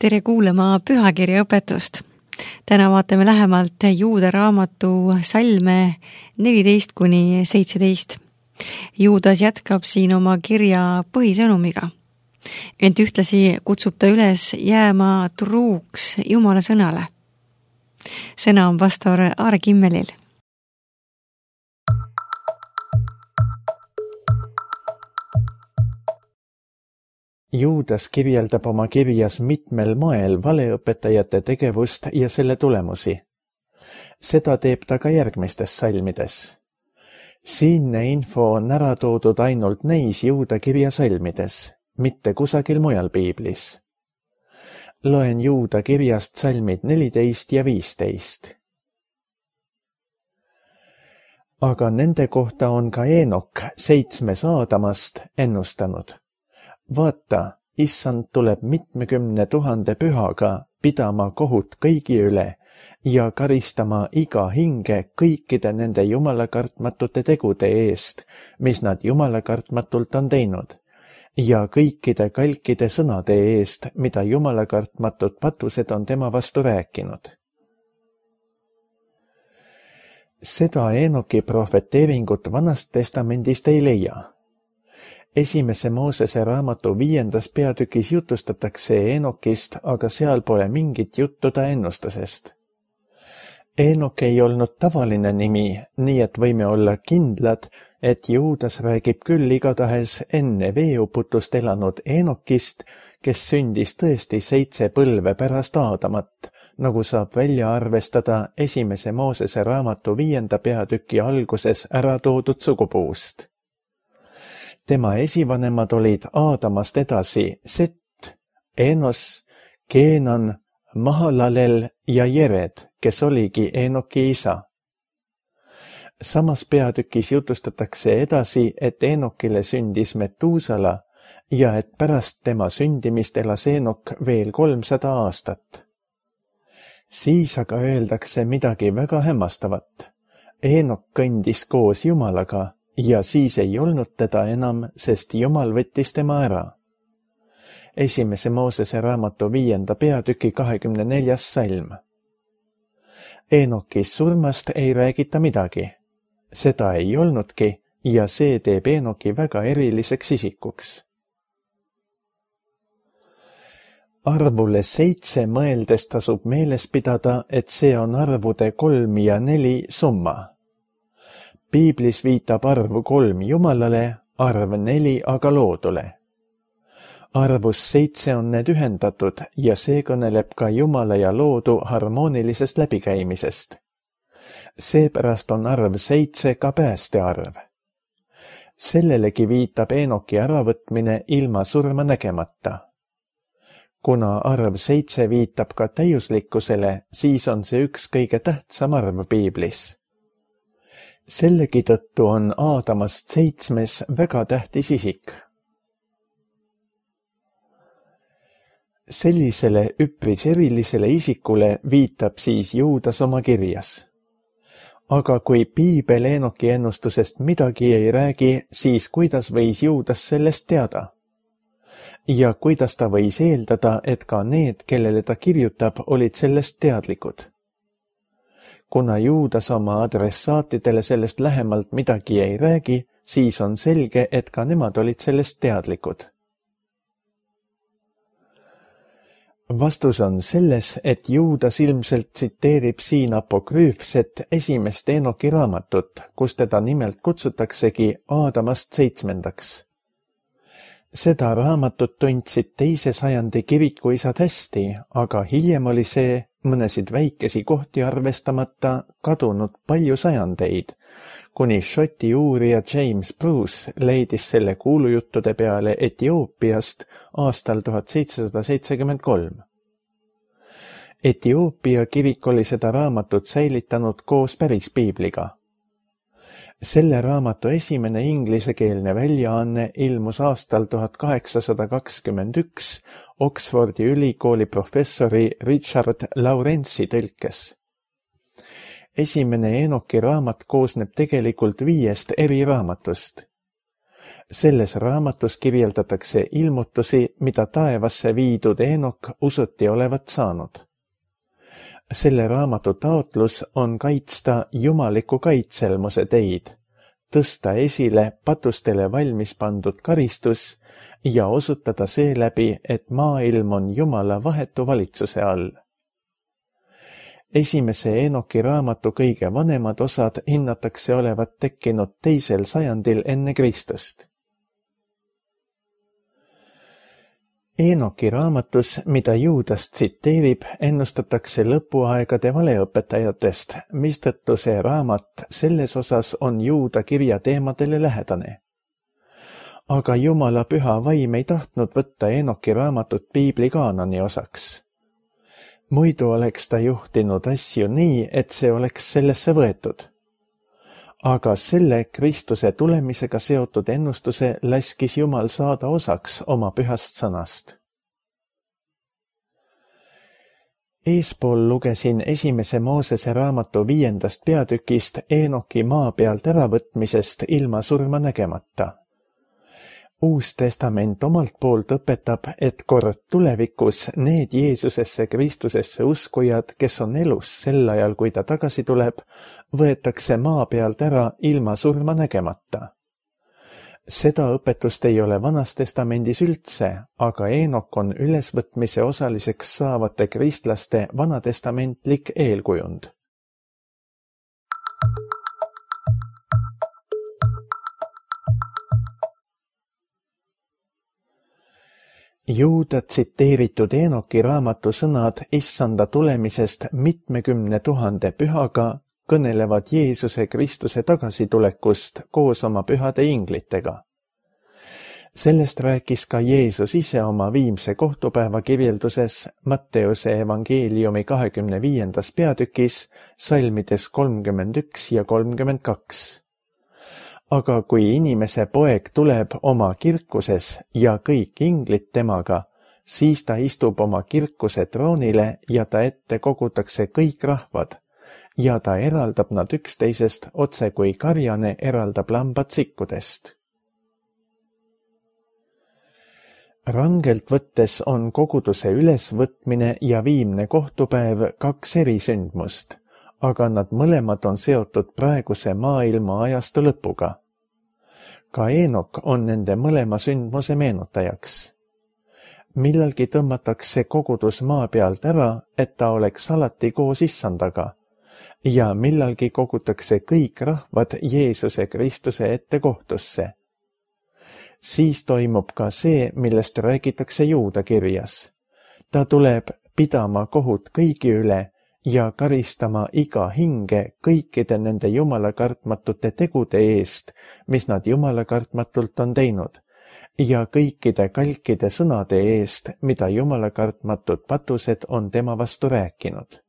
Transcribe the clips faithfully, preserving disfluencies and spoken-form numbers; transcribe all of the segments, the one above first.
tere kuulama pühakirja õpetust. Täna vaatame lähemalt Juuda raamatu salme neliteist kuni seitseteist. Juudas jätkab siin oma kirja põhisõnumiga. Ent ühtlasi kutsub ta üles jääma truuks Jumala sõnale. Sõna on pastor Aare Kimmelil. Juudas kirjeldab oma kirjas mitmel moel valeõpetajate tegevust ja selle tulemusi. Seda teeb ta ka järgmistes salmides. Siinne info on ära toodud ainult neis Juuda kirja salmides, mitte kusagil mujal piiblis. Loen Juuda kirjast salmid neliteist ja viisteist. Aga nende kohta on ka Eenok seitsmes Aadamast ennustanud. Vaata, issand tuleb mitmekümne tuhande pühaga pidama kohut kõigi üle ja karistama iga hinge kõikide nende jumalakartmatute tegude eest, mis nad jumalakartmatult on teinud, ja kõikide kalkide sõnade eest, mida jumalakartmatud patused on tema vastu rääkinud. Seda Eenoki prohveteeringut Vanast testamendist ei leia. Esimese Moosese raamatu viiendas peatükis jutustatakse Eenokist, aga seal pole mingit juttu ta ennustusest. Eenok ei olnud tavaline nimi, nii et võime olla kindlad, et Juudas räägib küll igatahes enne veeuputust elanud Eenokist, kes sündis tõesti seitse põlve pärast Aadamat, nagu saab välja arvestada esimese Moosese raamatu viienda peatüki alguses ära toodud sugupuust. Tema esivanemad olid Aadamast edasi Set, Enos, Keenan, Mahalalel ja Jered, kes oligi Eenoki isa. Samas peatükis jutustatakse edasi, et Eenokile sündis Metuusala ja et pärast tema sündimist elas Eenok veel kolmsada aastat. Siis aga öeldakse midagi väga hämmastavat. Eenok kõndis koos Jumalaga, ja siis ei olnud teda enam, sest Jumal võttis tema ära. Esimese Moosese raamatu viienda peatüki kahekümne neljas salm. Eenokis surmast ei räägita midagi. Seda ei olnudki ja see teeb Eenoki väga eriliseks isikuks. Arvule seitse mõeldes tasub meeles pidada, et see on arvude kolm ja neli summa. Piiblis viitab arv kolm Jumalale, arv neli aga loodule. Arvus seitse on need ühendatud ja see kõneleb ka Jumala ja loodu harmoonilisest läbikäimisest. Seepärast on arv seitse ka päästearv. Sellelegi viitab Eenoki äravõtmine ilma surma nägemata. Kuna arv seitse viitab ka täiuslikkusele, siis on see üks kõige tähtsam arv piiblis. Sellegi tõttu on Aadamast seitsmes väga tähtis isik. Sellisele üpris erilisele isikule viitab siis Juudas oma kirjas. Aga kui piibel Eenoki ennustusest midagi ei räägi, siis kuidas võis Juudas sellest teada? Ja kuidas ta võis eeldada, et ka need, kellele ta kirjutab, olid sellest teadlikud? Kuna Juudas oma adressaatidele sellest lähemalt midagi ei räägi, siis on selge, et ka nemad olid sellest teadlikud. Vastus on selles, et Juudas ilmselt tsiteerib siin apokrüüfset esimest Eenoki raamatut, kus teda nimelt kutsutaksegi Aadamast seitsmendaks. Seda raamatut tundsid teise sajandi kirikuisad hästi, aga hiljem oli see mõnesid väikesi kohti arvestamata kadunud palju sajandeid, kuni Šoti uurija James Bruce leidis selle kuulujuttude peale Etioopiast aastal tuhat seitsesada seitsekümmend kolm. Etioopia kirik oli seda raamatut säilitanud koos päris piibliga. Selle raamatu esimene inglisekeelne väljaanne ilmus aastal tuhat kaheksasada kakskümmend üks Oxfordi ülikooli professori Richard Lawrence'i tõlkes. Esimene Eenoki raamat koosneb tegelikult viiest eri raamatust. Selles raamatus kirjeldatakse ilmutusi, mida taevasse viidud Eenok usuti olevat saanud. Selle raamatu taotlus on kaitsta jumaliku kaitselmuse teid, tõsta esile patustele valmis pandud karistus ja osutada seeläbi, et maailm on Jumala vahetu valitsuse all. Esimese Eenoki raamatu kõige vanemad osad hinnatakse olevat tekkinud teisel sajandil enne Kristust. Eenoki raamatus, mida Juudas tsiteerib, ennustatakse lõpuaegade valeõpetajatest, mistõttu see raamat selles osas on Juuda kirja teemadele lähedane. Aga Jumala püha vaim ei tahtnud võtta Eenoki raamatut piibli kaanoni osaks. Muidu oleks ta juhtinud asju nii, et see oleks sellesse võetud. Aga selle Kristuse tulemisega seotud ennustuse laskis Jumal saada osaks oma pühast sõnast. Eespool lugesin esimese Moosese raamatu viiendast peatükist Eenoki maa pealt äravõtmisest ilma surma nägemata. Uus testament omalt poolt õpetab, et kord tulevikus need Jeesusesse Kristusesse uskujad, kes on elus sel ajal, kui ta tagasi tuleb, võetakse maa pealt ära ilma surma nägemata. Seda õpetust ei ole Vanas testamendis üldse, aga Eenok on ülesvõtmise osaliseks saavate kristlaste vanatestamentlik eelkujund. Juuda tsiteeritud Eenoki raamatu sõnad issanda tulemisest mitmekümne tuhande pühaga kõnelevad Jeesuse Kristuse tagasitulekust koos oma pühade inglitega. Sellest rääkis ka Jeesus ise oma viimse kohtupäeva kirjelduses Matteuse evangeeliumi kahekümne viiendas peatükis salmides kolmkümmend üks ja kolmkümmend kaks. Aga kui inimese poeg tuleb oma kirkuses ja kõik inglid temaga, siis ta istub oma kirkuse troonile ja ta ette kogutakse kõik rahvad ja ta eraldab nad üksteisest otse kui karjane eraldab lambad sikkudest. Rangelt võttes on koguduse ülesvõtmine ja viimne kohtupäev kaks erisündmust, aga nad mõlemad on seotud praeguse maailma ajastu lõpuga. Ka Eenok on nende mõlema sündmuse meenutajaks. Millalgi tõmmatakse kogudus maa pealt ära, et ta oleks alati koos issandaga, ja millalgi kogutakse kõik rahvad Jeesuse Kristuse ette kohtusse. Siis toimub ka see, millest räägitakse Juuda kirjas. Ta tuleb pidama kohut kõigi üle ja karistama iga hinge kõikide nende jumalakartmatute tegude eest, mis nad jumalakartmatult on teinud, ja kõikide kalkide sõnade eest, mida jumalakartmatud patused on tema vastu rääkinud.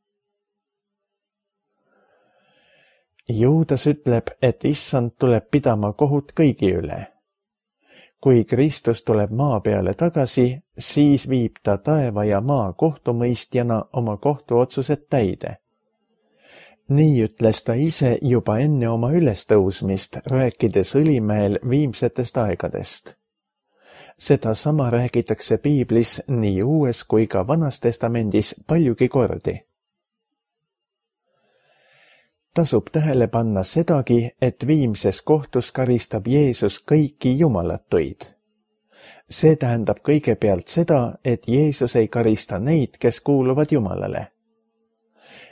Juudas ütleb, et issand tuleb pidama kohut kõigi üle. Kui Kristus tuleb maa peale tagasi, siis viib ta taeva ja maa kohtumõistjana oma kohtuotsused täide. Nii ütles ta ise juba enne oma ülestõusmist, rääkides Õlimäel viimsetest aegadest. Seda sama räägitakse piiblis nii Uues kui ka Vanas testamendis paljugi kordi. Tasub tähele panna sedagi, et viimses kohtus karistab Jeesus kõiki jumalatuid. See tähendab kõigepealt seda, et Jeesus ei karista neid, kes kuuluvad Jumalale.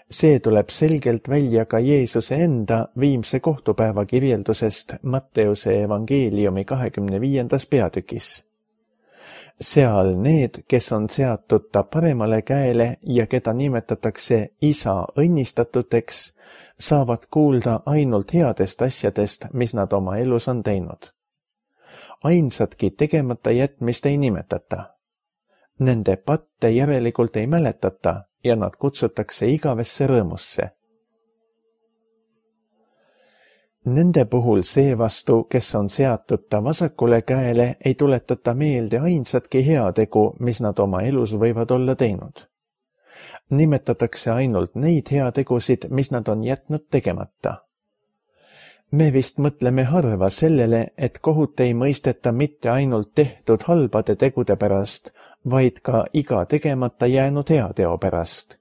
See tuleb selgelt välja ka Jeesuse enda viimse kohtupäeva kirjeldusest Matteuse evangeeliumi kahekümne viiendas peatükis. Seal need, kes on seatud ta paremale käele ja keda nimetatakse isa õnnistatuteks, saavad kuulda ainult headest asjadest, mis nad oma elus on teinud. Ainsatki tegemata jätmist ei nimetata. Nende patte järelikult ei mäletata ja nad kutsutakse igavesse rõõmusse. Nende puhul seevastu, kes on seatud ta vasakule käele, ei tuletata meelde ainsatki heategu, mis nad oma elus võivad olla teinud. Nimetatakse ainult neid heategusid, mis nad on jätnud tegemata. Me vist mõtleme harva sellele, et kohut ei mõisteta mitte ainult tehtud halbade tegude pärast, vaid ka iga tegemata jäänud heateo pärast.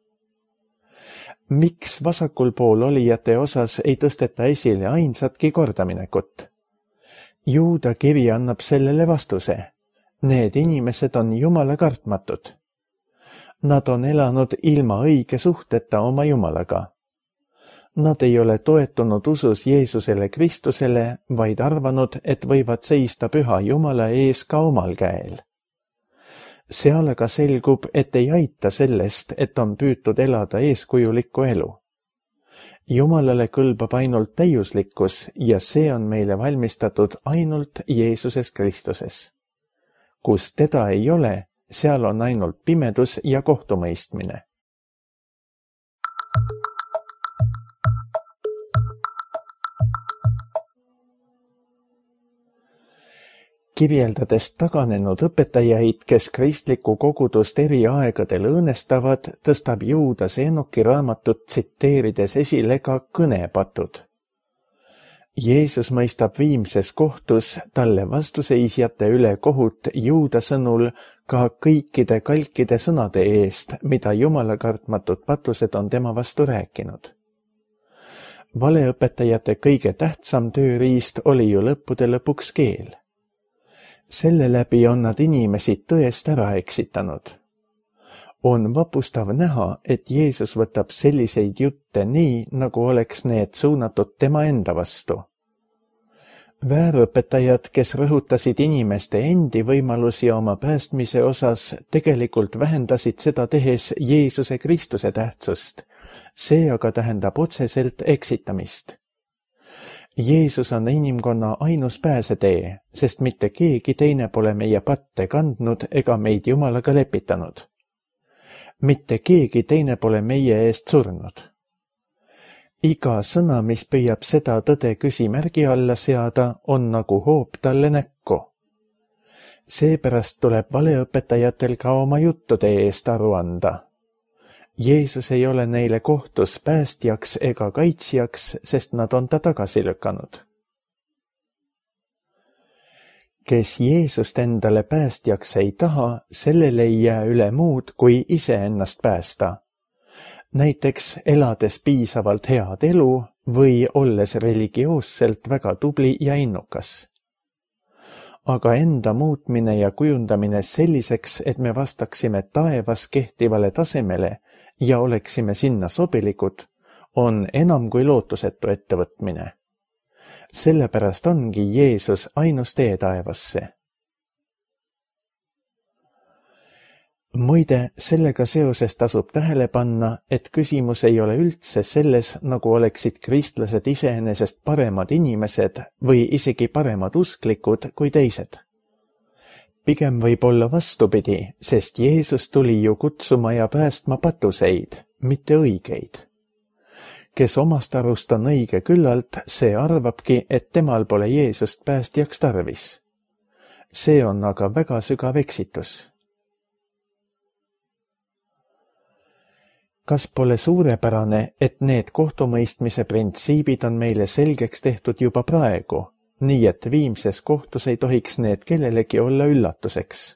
Miks vasakul pool olijate osas ei tõsteta esile ainsatki kordaminekut? Juuda kiri annab sellele vastuse. Need inimesed on Jumala kartmatud. Nad on elanud ilma õige suhteta oma Jumalaga. Nad ei ole toetunud usus Jeesusele Kristusele, vaid arvanud, et võivad seista püha Jumala ees ka omal käel. Seal aga selgub, et ei aita sellest, et on püütud elada eeskujulikku elu. Jumalale kõlbab ainult täiuslikkus ja see on meile valmistatud ainult Jeesuses Kristuses. Kus teda ei ole, seal on ainult pimedus ja kohtumõistmine. Kirjeldades taganenud õpetajaid, kes kristlikku kogudust eri aegadel õõnestavad, tõstab Juudas Enoki raamatut tsiteerides esile ka kõnepatud. Jeesus mõistab viimses kohtus talle vastuseisjate üle kohut Juuda sõnul ka kõikide kalkide sõnade eest, mida Jumala kartmatud patused on tema vastu rääkinud. Valeõpetajate kõige tähtsam tööriist oli ju lõppude lõpuks keel. Selle läbi on nad inimesi tõest ära eksitanud. On vapustav näha, et Jeesus võtab selliseid jutte nii, nagu oleks need suunatud tema enda vastu. Väärõpetajad, kes rõhutasid inimeste endi võimalusi oma päästmise osas, tegelikult vähendasid seda tehes Jeesuse Kristuse tähtsust. See aga tähendab otseselt eksitamist. Jeesus on inimkonna ainus pääsetee, sest mitte keegi teine pole meie patte kandnud ega meid Jumalaga lepitanud. Mitte keegi teine pole meie eest surnud. Iga sõna, mis püüab seda tõde küsimärgi alla seada, on nagu hoop talle näkku. Seepärast tuleb valeõpetajatel ka oma juttude eest aru anda. Jeesus ei ole neile kohtus päästjaks ega kaitsjaks, sest nad on ta tagasi lükanud. Kes Jeesust endale päästjaks ei taha, sellele ei jää üle muud, kui iseennast päästa. Näiteks elades piisavalt head elu või olles religioosselt väga tubli ja innukas. Aga enda muutmine ja kujundamine selliseks, et me vastaksime taevas kehtivale tasemele ja oleksime sinna sobilikud, on enam kui lootusetu ettevõtmine. Sellepärast ongi Jeesus ainus tee taevasse. Muide, sellega seoses tasub tähele panna, et küsimus ei ole üldse selles, nagu oleksid kristlased iseenesest paremad inimesed või isegi paremad usklikud kui teised. Pigem võib olla vastupidi, sest Jeesus tuli ju kutsuma ja päästma patuseid, mitte õigeid. Kes omast arust on õige küllalt, see arvabki, et temal pole Jeesust päästjaks tarvis. See on aga väga sügav eksitus. Kas pole suurepärane, et need kohtumõistmise printsiibid on meile selgeks tehtud juba praegu, nii et viimses kohtus ei tohiks need kellelegi olla üllatuseks?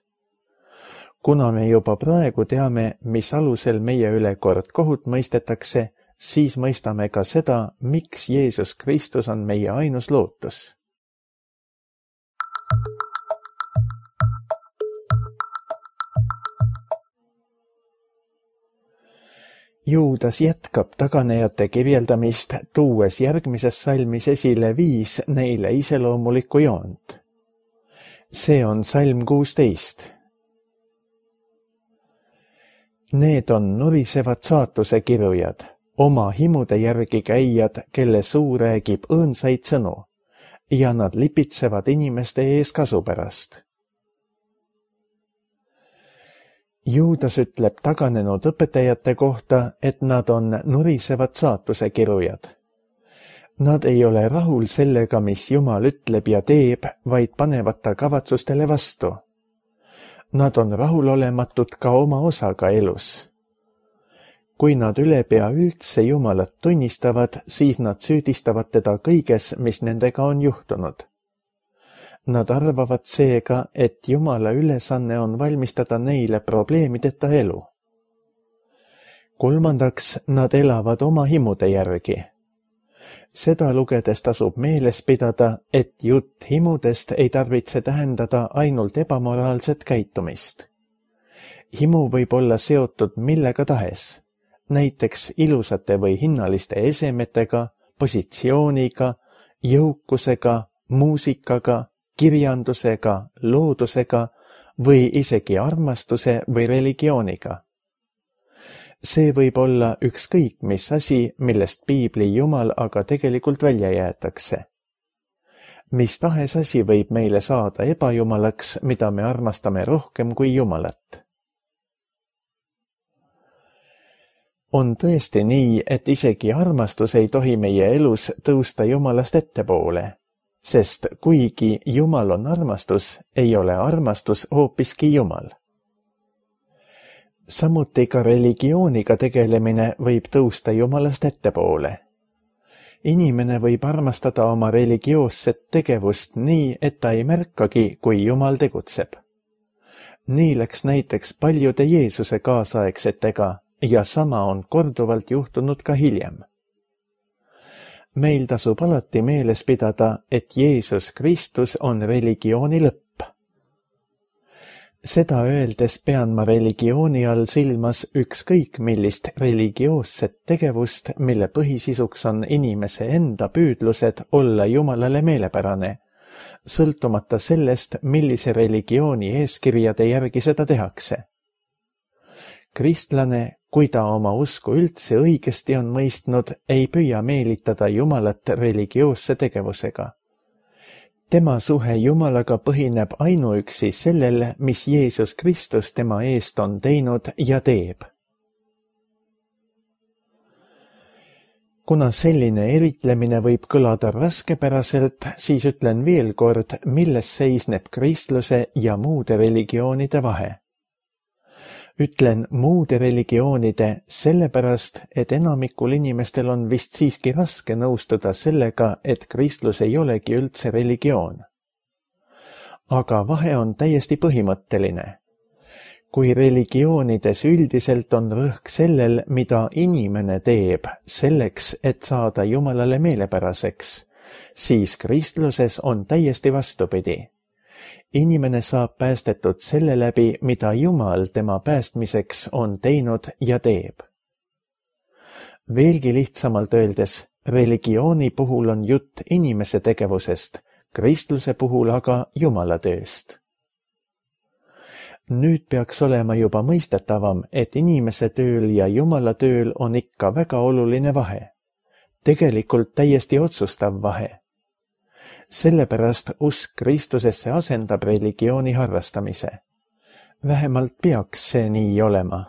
Kuna me juba praegu teame, mis alusel meie üle kord kohut mõistetakse, siis mõistame ka seda, miks Jeesus Kristus on meie ainus lootus. Juudas jätkab taganejate kirjeldamist, tuues järgmises salmis esile viis neile iseloomulikku joont. See on salm kuusteist. Need on nurisevad saatuse kirujad, oma himude järgi käijad, kelle suu räägib õõnsaid sõnu, ja nad lipitsevad inimeste ees kasu pärast. Juudas ütleb taganenud õpetajate kohta, et nad on nurisevad saatuse kirujad. Nad ei ole rahul sellega, mis Jumal ütleb ja teeb, vaid panevad ta kavatsustele vastu. Nad on rahulolematud ka oma osaga elus. kui nad ülepea üldse Jumalat tunnistavad, siis nad süüdistavad teda kõiges, mis nendega on juhtunud. Nad arvavad seega, et Jumala ülesanne on valmistada neile probleemideta elu. Kolmandaks, nad elavad oma himude järgi. Seda lugedes tasub meeles pidada, et jutt himudest ei tarvitse tähendada ainult ebamoraalset käitumist. Himu võib olla seotud millega tahes, näiteks ilusate või hinnaliste esemetega, positsiooniga, jõukusega, muusikaga, kirjandusega, loodusega või isegi armastuse või religiooniga. See võib olla ükskõik mis asi, millest piibli Jumal aga tegelikult välja jäetakse. Mis tahes asi võib meile saada ebajumalaks, mida me armastame rohkem kui Jumalat. On tõesti nii, et isegi armastus ei tohi meie elus tõusta Jumalast ettepoole, sest kuigi Jumal on armastus, ei ole armastus hoopiski Jumal. Samuti ka religiooniga tegelemine võib tõusta Jumalast ettepoole. Inimene võib armastada oma religioosset tegevust nii, et ta ei märkagi, kui Jumal tegutseb. Nii läks näiteks paljude Jeesuse kaasaegsetega ja sama on korduvalt juhtunud ka hiljem. Meil tasub alati meeles pidada, et Jeesus Kristus on religiooni lõpp. Seda öeldes pean ma religiooni all silmas ükskõik millist religioosset tegevust, mille põhisisuks on inimese enda püüdlused olla Jumalale meelepärane, sõltumata sellest, millise religiooni eeskirjade järgi seda tehakse. Kristlane, kui ta oma usku üldse õigesti on mõistnud, ei püüa meelitada Jumalat religioosse tegevusega. Tema suhe Jumalaga põhineb ainuüksi sellel, mis Jeesus Kristus tema eest on teinud ja teeb. Kuna selline eritlemine võib kõlada raskepäraselt, siis ütlen veel kord, milles seisneb kristluse ja muude religioonide vahe. Ütlen muude religioonide sellepärast, et enamikul inimestel on vist siiski raske nõustuda sellega, et kristlus ei olegi üldse religioon. Aga vahe on täiesti põhimõtteline. Kui religioonides üldiselt on rõhk sellel, mida inimene teeb selleks, et saada Jumalale meelepäraseks, siis kristluses on täiesti vastupidi. Inimene saab päästetud selle läbi, mida Jumal tema päästmiseks on teinud ja teeb. Veelgi lihtsamalt öeldes, religiooni puhul on jutt inimese tegevusest, kristluse puhul aga Jumala tööst. Nüüd peaks olema juba mõistetavam, et inimese tööl ja Jumala tööl on ikka väga oluline vahe. Tegelikult täiesti otsustav vahe. Sellepärast usk Kristusesse asendab religiooni harrastamise. Vähemalt peaks see nii olema.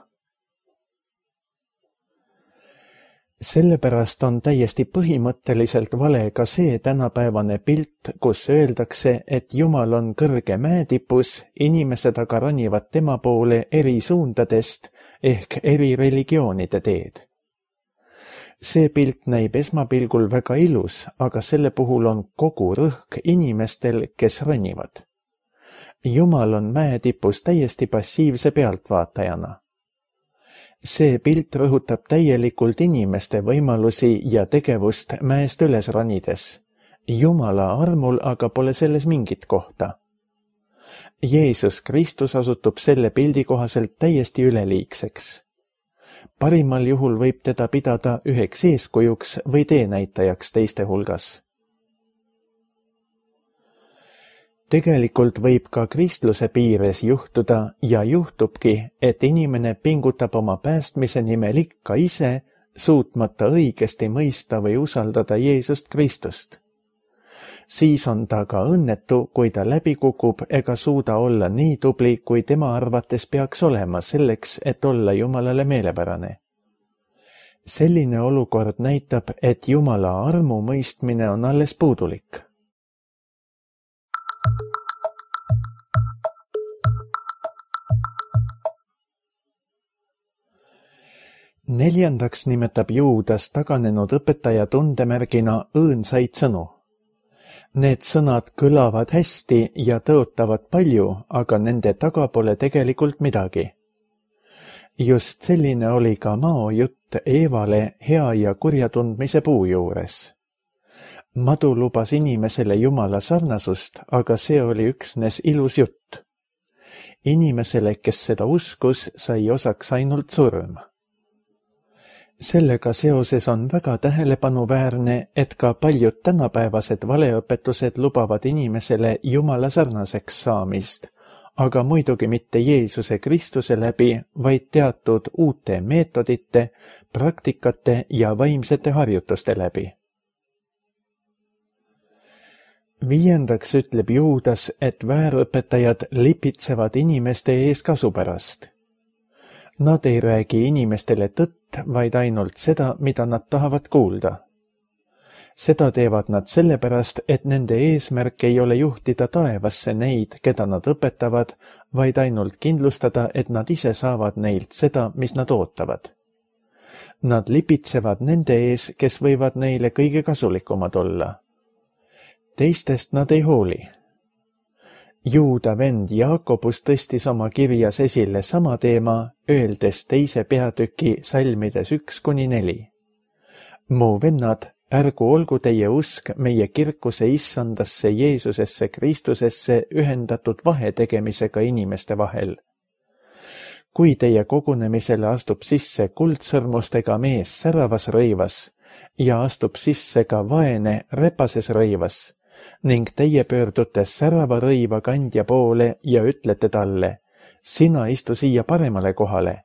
Sellepärast on täiesti põhimõtteliselt vale ka see tänapäevane pilt, kus öeldakse, et Jumal on kõrge mäetipus, inimesed aga ronivad tema poole eri suundadest ehk eri religioonide teed. See pilt näib esmapilgul väga ilus, aga selle puhul on kogu rõhk inimestel, kes ronivad. Jumal on mäetipus täiesti passiivse pealtvaatajana. See pilt rõhutab täielikult inimeste võimalusi ja tegevust mäest üles ronides. Jumala armul aga pole selles mingit kohta. Jeesus Kristus osutub selle pildi kohaselt täiesti üleliigseks. Parimal juhul võib teda pidada üheks eeskujuks või teenäitajaks teiste hulgas. Tegelikult võib ka kristluse piires juhtuda ja juhtubki, et inimene pingutab oma päästmise nimel ikka ise, suutmata õigesti mõista või usaldada Jeesust Kristust. Siis on ta ka õnnetu, kui ta läbi kukub ega suuda olla nii tubli, kui tema arvates peaks olema selleks, et olla Jumalale meelepärane. Selline olukord näitab, et Jumala armu mõistmine on alles puudulik. Neljandaks nimetab Juudas taganenud õpetaja tundemärgina õõnsaid sõnu. Need sõnad kõlavad hästi ja tõotavad palju, aga nende taga pole tegelikult midagi. Just selline oli ka Mao jutt Eevale hea ja kurja tundmise puu juures. Madu lubas inimesele Jumala sarnasust, aga see oli üksnes ilus jutt. Inimesele, kes seda uskus, sai osaks ainult surm. Sellega seoses on väga tähelepanuväärne, et ka paljud tänapäevased valeõpetused lubavad inimesele Jumala sarnaseks saamist, aga muidugi mitte Jeesuse Kristuse läbi, vaid teatud uute meetodite, praktikate ja vaimsete harjutuste läbi. Viiendaks ütleb Juudas, et väärõpetajad lipitsevad inimeste ees kasu pärast. Nad ei räägi inimestele tõtt, vaid ainult seda, mida nad tahavad kuulda. Seda teevad nad sellepärast, et nende eesmärk ei ole juhtida taevasse neid, keda nad õpetavad, vaid ainult kindlustada, et nad ise saavad neilt seda, mis nad ootavad. Nad lipitsevad nende ees, kes võivad neile kõige kasulikumad olla. Teistest nad ei hooli. Juuda vend Jaakobus tõstis oma kirjas esile sama teema, öeldes teise peatüki salmides üks kuni neli. Mu vennad, ärgu olgu teie usk meie kirkuse issandasse Jeesusesse Kristusesse ühendatud vahetegemisega inimeste vahel. Kui teie kogunemisele astub sisse kuldsõrmustega mees säravas rõivas ja astub sisse ka vaene repases rõivas, ning teie pöördute särava rõiva kandja poole ja ütlete talle, sina istu siia paremale kohale,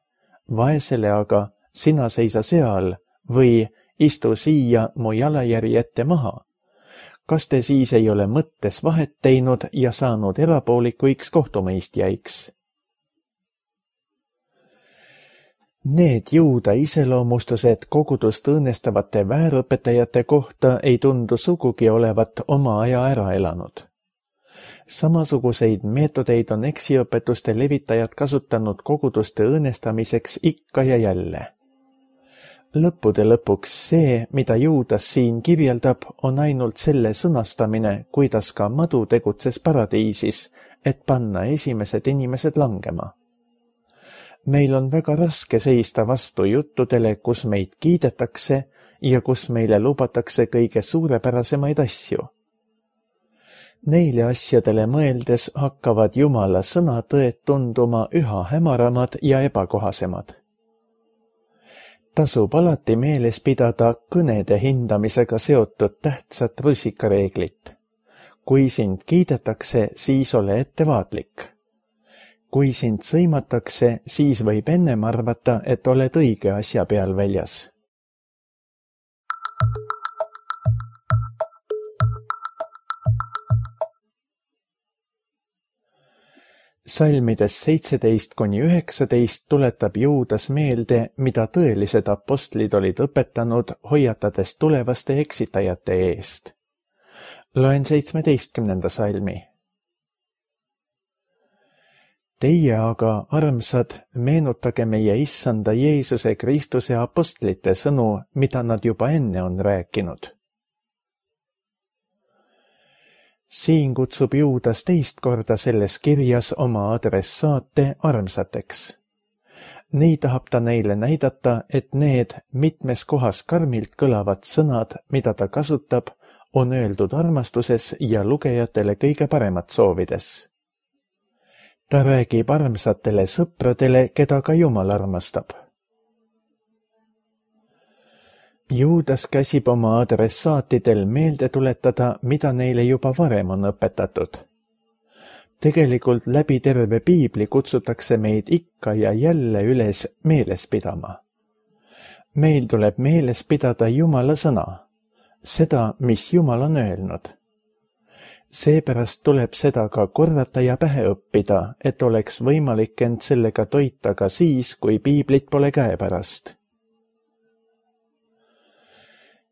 vaesele aga sina seisa seal või istu siia mu jalajärje ette maha. Kas te siis ei ole mõttes vahet teinud ja saanud erapoolikuiks kohtumõistjaiks? Need Juuda iseloomustused kogudust õõnestavate väärõpetajate kohta ei tundu sugugi olevat oma aja ära elanud. Samasuguseid meetodeid on eksiõpetuste levitajad kasutanud koguduste õõnestamiseks ikka ja jälle. Lõppude lõpuks see, mida Juudas siin kirjeldab, on ainult selle sõnastamine, kuidas ka madu tegutses paradiisis, et panna esimesed inimesed langema. Meil on väga raske seista vastu juttudele, kus meid kiidetakse ja kus meile lubatakse kõige suurepärasemaid asju. Neile asjadele mõeldes hakkavad Jumala sõnatõed tunduma üha hämaramad ja ebakohasemad. Tasub alati meeles pidada kõnede hindamisega seotud tähtsat rusikareeglit. Kui sind kiidetakse, siis ole ettevaatlik. Kui sind sõimatakse, siis võib ennem arvata, et oled õige asja peal väljas. Salmides seitseteist kuni üheksateist tuletab Juudas meelde, mida tõelised apostlid olid õpetanud, hoiatades tulevaste eksitajate eest. Loen seitsmeteistkümnenda salmi. Teie aga, armsad, meenutage meie issanda Jeesuse Kristuse apostlite sõnu, mida nad juba enne on rääkinud. Siin kutsub Juudas teist korda selles kirjas oma adressaate armsateks. Nii tahab ta neile näidata, et need mitmes kohas karmilt kõlavad sõnad, mida ta kasutab, on öeldud armastuses ja lugejatele kõige paremat soovides. Ta räägib armsatele sõpradele, keda ka Jumal armastab. Juudas käsib oma adressaatidel meelde tuletada, mida neile juba varem on õpetatud. Tegelikult läbi terve piibli kutsutakse meid ikka ja jälle üles meeles pidama. Meil tuleb meeles pidada Jumala sõna, seda, mis Jumal on öelnud. Seepärast tuleb seda ka korrata ja pähe õppida, et oleks võimalik end sellega toita ka siis, kui piiblit pole käepärast.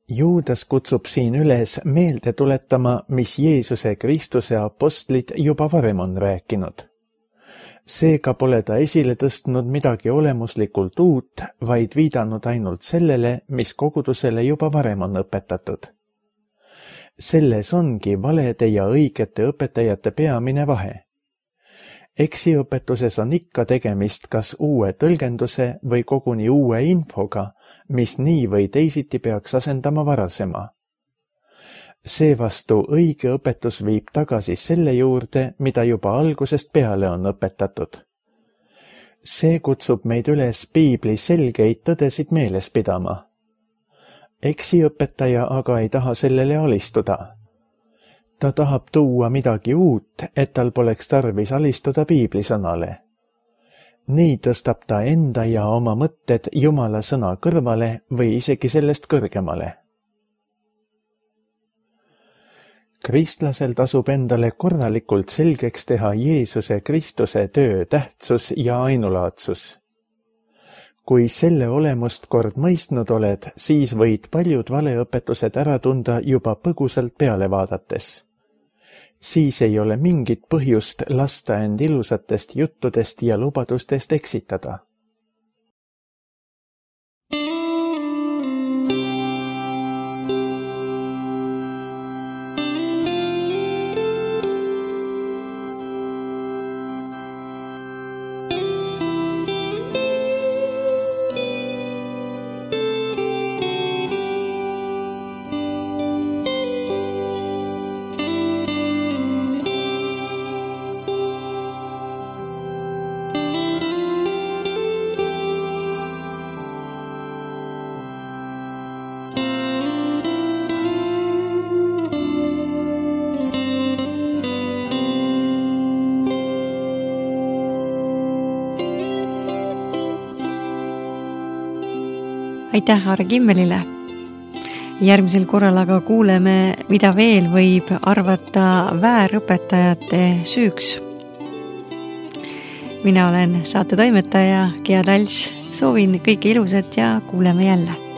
Juudas kutsub siin üles meelde tuletama, mis Jeesuse Kristuse apostlid juba varem on rääkinud. Seega pole ta esile tõstnud midagi olemuslikult uut, vaid viidanud ainult sellele, mis kogudusele juba varem on õpetatud. Selles ongi valede ja õigete õpetajate peamine vahe. Eksiõpetuses on ikka tegemist kas uue tõlgenduse või koguni uue infoga, mis nii või teisiti peaks asendama varasema. Seevastu õige õpetus viib tagasi selle juurde, mida juba algusest peale on õpetatud. See kutsub meid üles piibli selgeid tõdesid meeles pidama. Eksiõpetaja aga ei taha sellele alistuda. Ta tahab tuua midagi uut, et tal poleks tarvis alistuda piiblisõnale. Nii tõstab ta enda ja oma mõtted Jumala sõna kõrvale või isegi sellest kõrgemale. Kristlasel tasub endale korralikult selgeks teha Jeesuse Kristuse töö tähtsus ja ainulaadsus. Kui selle olemust kord mõistnud oled, siis võid paljud valeõpetused ära tunda juba põgusalt peale vaadates. Siis ei ole mingit põhjust lasta end ilusatest juttudest ja lubadustest eksitada. Aitäh Aare Kimmelile. Järgmisel korral aga kuuleme, mida veel võib arvata väärõpetajate süüks. Mina olen saate toimetaja Gea Talts. Soovin kõike ilusat ja kuuleme jälle.